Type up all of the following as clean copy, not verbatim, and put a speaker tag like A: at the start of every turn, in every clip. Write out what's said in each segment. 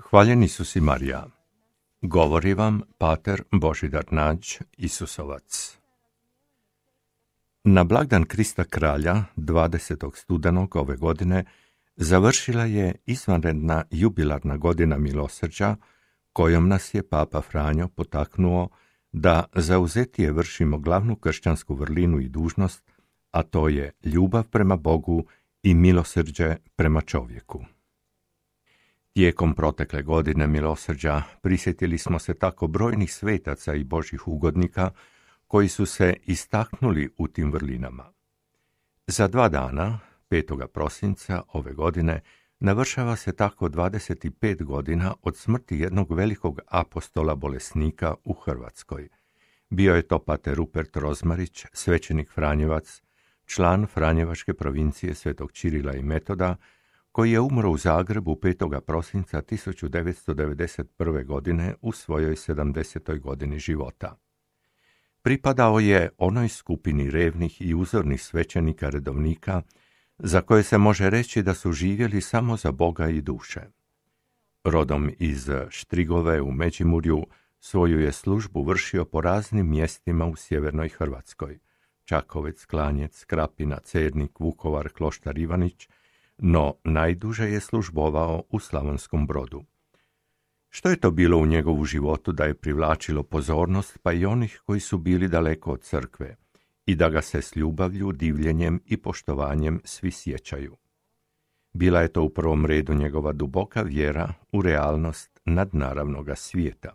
A: Hvaljeni Isus i Marija. Govori vam pater Božidar Nađ, Isusovac. Na blagdan Krista Kralja, 20. studenog ove godine, završila je izvanredna jubilarna godina milosrđa, kojom nas je Papa Franjo potaknuo da zauzetije vršimo glavnu kršćansku vrlinu i dužnost, a to je ljubav prema Bogu i milosrđe prema čovjeku. Tijekom protekle godine milosrđa prisjetili smo se tako brojnih svetaca i božjih ugodnika koji su se istaknuli u tim vrlinama. Za 2 dana, 5. prosinca ove godine, navršava se tako 25 godina od smrti jednog velikog apostola bolesnika u Hrvatskoj. Bio je to pater Rupert Rozmarić, svećenik Franjevac, član Franjevačke provincije Svetog Čirila i Metoda, koji je umro u Zagrebu 5. prosinca 1991. godine u svojoj 70. godini života. Pripadao je onoj skupini revnih i uzornih svećenika redovnika, za koje se može reći da su živjeli samo za Boga i duše. Rodom iz Štrigove u Međimurju, svoju je službu vršio po raznim mjestima u sjevernoj Hrvatskoj: Čakovec, Klanjec, Krapina, Cernik, Vukovar, Kloštar Ivanić, no najduže je službovao u Slavonskom Brodu. Što je to bilo u njegovu životu da je privlačilo pozornost pa i onih koji su bili daleko od crkve i da ga se s ljubavlju, divljenjem i poštovanjem svi sjećaju? Bila je to u prvom redu njegova duboka vjera u realnost nadnaravnoga svijeta.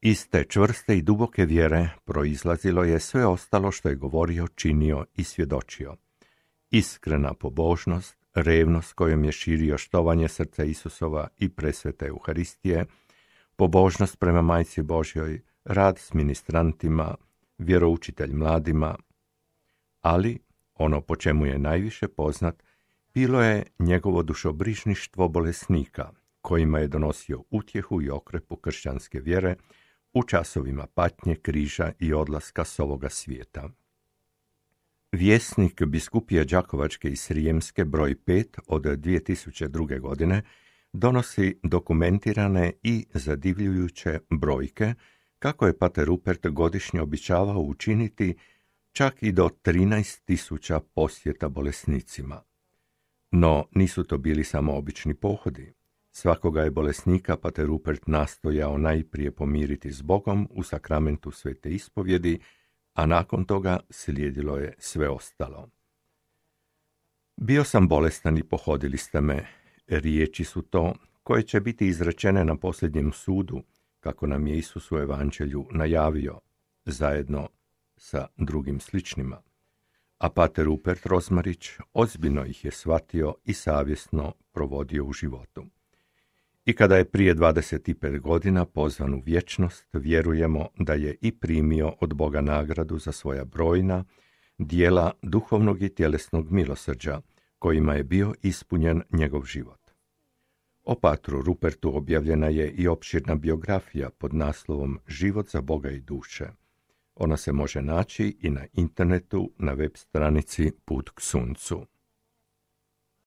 A: Iz te čvrste i duboke vjere proizlazilo je sve ostalo što je govorio, činio i svjedočio. Iskrena pobožnost, revnost kojom je širio štovanje srca Isusova i presvete Euharistije, pobožnost prema Majci Božjoj, rad s ministrantima, vjeroučitelj mladima, ali ono po čemu je najviše poznat bilo je njegovo dušobrižništvo bolesnika, kojima je donosio utjehu i okrepu kršćanske vjere u časovima patnje, križa i odlaska s ovoga svijeta. Vjesnik biskupije Đakovačke i Srijemske broj 5 od 2002. godine donosi dokumentirane i zadivljujuće brojke kako je pater Rupert godišnje običavao učiniti čak i do 13.000 posjeta bolesnicima. No nisu to bili samo obični pohodi. Svakoga je bolesnika pater Rupert nastojao najprije pomiriti s Bogom u sakramentu svete ispovjedi, a nakon toga slijedilo je sve ostalo. Bio sam bolestan i pohodili ste me. Riječi su to koje će biti izrečene na posljednjem sudu, kako nam je Isus u Evanđelju najavio, zajedno sa drugim sličnima. A pater Rupert Rozmarić ozbiljno ih je shvatio i savjesno provodio u životu. I kada je prije 25 godina pozvan u vječnost, vjerujemo da je i primio od Boga nagradu za svoja brojna dijela duhovnog i tjelesnog milosrđa, kojima je bio ispunjen njegov život. O patru Rupertu objavljena je i opširna biografija pod naslovom Život za Boga i duše. Ona se može naći i na internetu na web stranici Put k suncu.